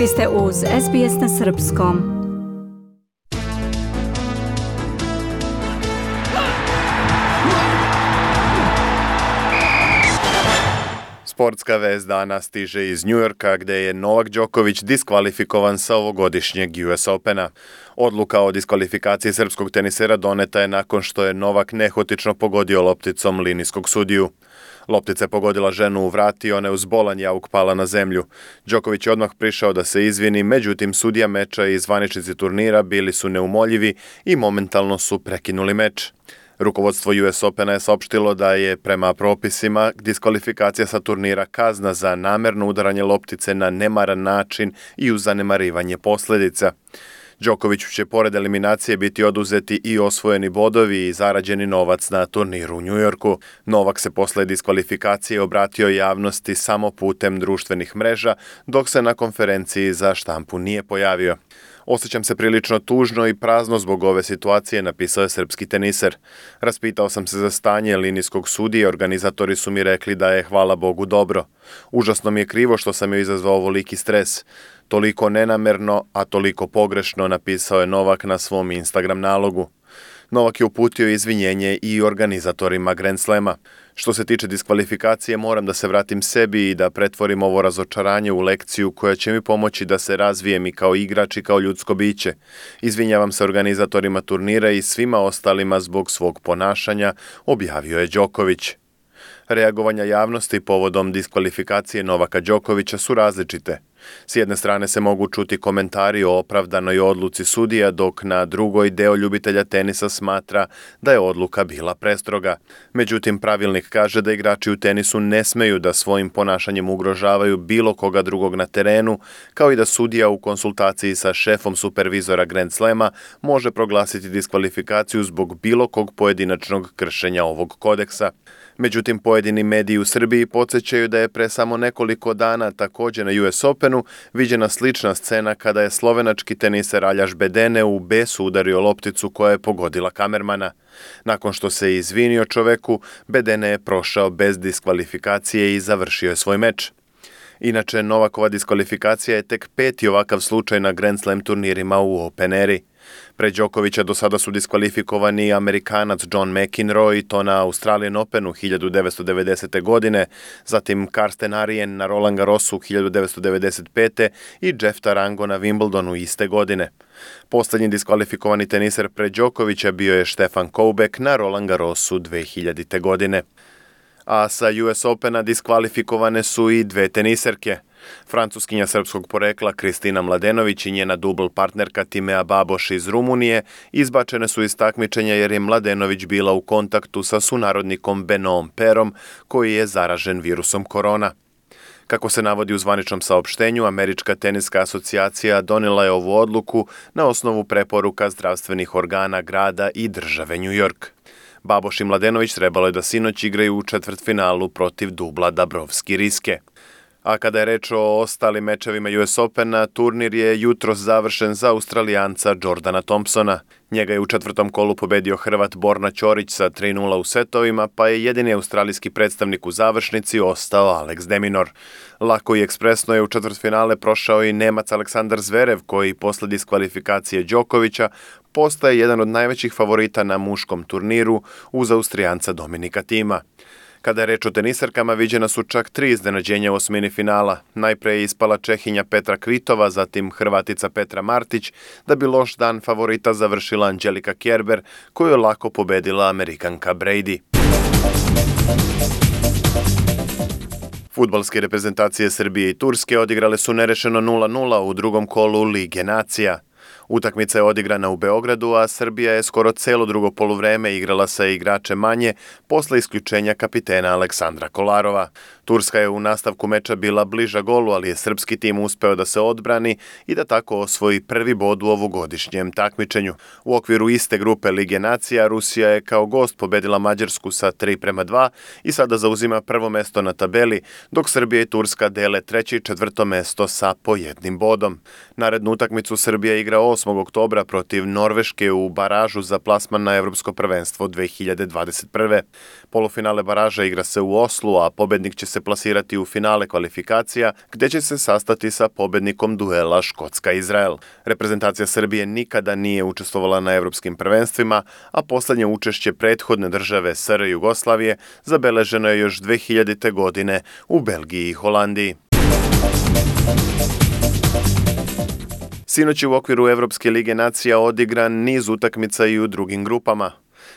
Vi ste uz SBS na Srpskom. Sportska vest dana stiže iz Njujorka gdje je Novak Đoković diskvalifikovan sa ovogodišnjeg US Opena. Odluka o diskvalifikaciji srpskog tenisera doneta je nakon što je Novak nehotično pogodio lopticom linijskog sudiju. Loptica je pogodila ženu u vrat i ona je uz bolan jauk pala na zemlju. Đoković je odmah prišao da se izvini, međutim sudija meča i zvaničnici turnira bili su neumoljivi i momentalno su prekinuli meč. Rukovodstvo US Opena je saopštilo da je prema propisima diskvalifikacija sa turnira kazna za namerno udaranje loptice na nemaran način i uz zanemarivanje posljedica. Đokoviću će pored eliminacije biti oduzeti i osvojeni bodovi i zarađeni novac na turniru u Njujorku. Novak se posle diskvalifikacije obratio javnosti samo putem društvenih mreža, dok se na konferenciji za štampu nije pojavio. Osjećam se prilično tužno i prazno zbog ove situacije, napisao je srpski teniser. Raspitao sam se za stanje linijskog sudije, organizatori su mi rekli da je, hvala Bogu, dobro. Užasno mi je krivo što sam joj izazvao ovoliki stres. Toliko nenamerno, a toliko pogrešno, napisao je Novak na svom Instagram nalogu. Novak je uputio izvinjenje i organizatorima Grand Slema. Što se tiče diskvalifikacije, moram da se vratim sebi i da pretvorim ovo razočaranje u lekciju koja će mi pomoći da se razvijem i kao igrač i kao ljudsko biće. Izvinjavam se organizatorima turnira i svima ostalima zbog svog ponašanja, objavio je Đoković. Reagovanja javnosti povodom diskvalifikacije Novaka Đokovića su različite. S jedne strane se mogu čuti komentari o opravdanoj odluci sudija, dok na drugoj deo ljubitelja tenisa smatra da je odluka bila prestroga. Međutim, pravilnik kaže da igrači u tenisu ne smeju da svojim ponašanjem ugrožavaju bilo koga drugog na terenu, kao i da sudija u konsultaciji sa šefom supervizora Grand Slema može proglasiti diskvalifikaciju zbog bilo kog pojedinačnog kršenja ovog kodeksa. Međutim, pojedini mediji u Srbiji podsjećaju da je pre samo nekoliko dana također na US Openu viđena slična scena kada je slovenački teniser Aljaž Bedene u besu udario lopticu koja je pogodila kamermana. Nakon što se izvinio čoveku, Bedene je prošao bez diskvalifikacije i završio je svoj meč. Inače, Novakova diskvalifikacija je tek 5. ovakav slučaj na Grand Slam turnirima u Open eri. Pre Đokovića do sada su diskvalifikovani Amerikanac John McEnroe i to na Australian Openu 1990. godine, zatim Karsten Arien na Roland Garrosu 1995. i Jeff Tarango na Wimbledonu iste godine. Poslednji diskvalifikovani teniser pre Đokovića bio je Stefan Koubek na Roland Garrosu 2000. godine. A sa US Opena diskvalifikovane su i dve teniserke. Francuskinja srpskog porekla Kristina Mladenović i njena dubl partnerka Timea Baboš iz Rumunije izbačene su iz takmičenja jer je Mladenović bila u kontaktu sa sunarodnikom Benoom Perom koji je zaražen virusom korona. Kako se navodi u zvaničnom saopštenju, Američka teniska asocijacija donijela je ovu odluku na osnovu preporuka zdravstvenih organa grada i države New York. Baboš i Mladenović trebalo je da sinoć igraju u četvrtfinalu protiv dubla Dabrowski-Riske. A kada je reč o ostalim mečevima US Opena, turnir je jutros završen za Australijanca Jordana Thompsona. Njega je u četvrtom kolu pobedio Hrvat Borna Ćorić sa 3:0 u setovima, pa je jedini australijski predstavnik u završnici ostao Alex de Minaur. Lako i ekspresno je u četvrtfinale prošao i Nemac Aleksandar Zverev, koji posle diskvalifikacije Đokovića postaje jedan od najvećih favorita na muškom turniru uz Austrijanca Dominika Thima. Kada je reč o teniserkama, viđena su čak 3 iznenađenja u osmini finala. Najpre je ispala Čehinja Petra Kvitova, zatim Hrvatica Petra Martić, da bi loš dan favorita završila Angelika Kerber, koju je lako pobedila Amerikanka Brady. Fudbalske reprezentacije Srbije i Turske odigrale su nerešeno 0:0 u drugom kolu Lige nacija. Utakmica je odigrana u Beogradu, a Srbija je skoro celo drugo poluvreme igrala sa igračem manje posle isključenja kapitena Aleksandra Kolarova. Turska je u nastavku meča bila bliža golu, ali je srpski tim uspeo da se odbrani i da tako osvoji prvi bod u ovogodišnjem takmičenju. U okviru iste grupe Lige nacija, Rusija je kao gost pobedila Mađarsku sa 3:2 i sada zauzima prvo mesto na tabeli, dok Srbija i Turska dele treće i četvrto mesto sa po jednim bodom. Narednu utakmicu Srbija igra 8. 8. oktobra protiv Norveške u baražu za plasman na Evropsko prvenstvo 2021. Polufinale baraža igra se u Oslu, a pobednik će se plasirati u finale kvalifikacija, gdje će se sastati sa pobednikom duela Škotska-Izrael. Reprezentacija Srbije nikada nije učestvovala na evropskim prvenstvima, a posljednje učešće prethodne države SR Jugoslavije zabeleženo je još 2000. godine u Belgiji i Holandiji. Sinoć je u okviru Evropske lige nacija odigran niz utakmica i u drugim grupama.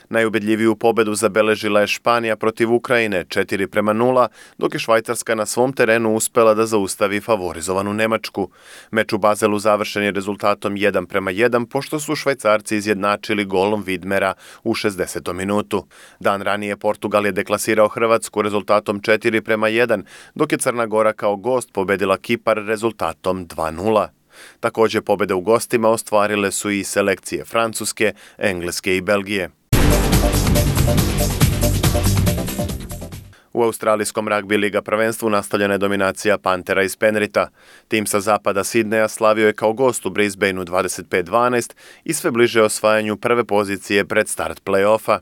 Najubedljiviju pobedu zabeležila je Španija protiv Ukrajine 4:0, dok je Švajcarska na svom terenu uspela da zaustavi favorizovanu Nemačku. Meč u Bazelu završen je rezultatom 1:1, pošto su Švajcarci izjednačili golom Vidmera u 60. minutu. Dan ranije Portugal je deklasirao Hrvatsku rezultatom 4:1, dok je Crna Gora kao gost pobedila Kipar rezultatom 2:0. Također pobjede u gostima ostvarile su i selekcije Francuske, Engleske i Belgije. U australijskom ragbi liga prvenstvu nastavljena je dominacija Pantera iz Penrita. Tim sa zapada Sidneja slavio je kao gost u Brisbaneu 25-12 i sve bliže osvajanju prve pozicije pred start play-offa.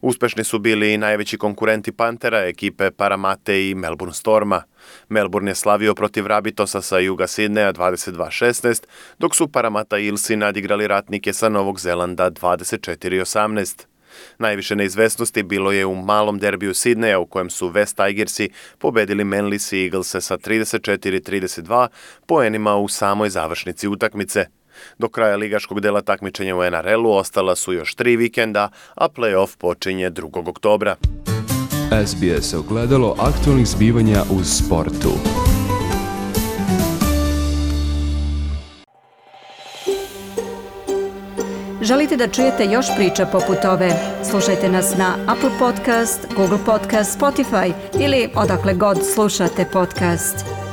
Uspešni su bili i najveći konkurenti Pantera, ekipe Parramatte i Melbourne Storma. Melbourne je slavio protiv Rabitosa sa juga Sidneja 22-16, dok su Parramatta Eelsi nadigrali ratnike sa Novog Zelanda 24-18. Najviše neizvesnosti bilo je u malom derbiju Sidneja u kojem su West Tigersi pobedili Manly Sea Eaglese sa 34-32 poenima u samoj završnici utakmice. Do kraja ligaškog dela takmičenja u NRL-u ostala su još 3 vikenda, a play-off počinje 2. oktobra. SBS ogledalo aktualnih zbivanja u sportu. Želite da čujete još priča poput ove? Slušajte nas na Apple Podcast, Google Podcast, Spotify ili odakle god slušate podcast.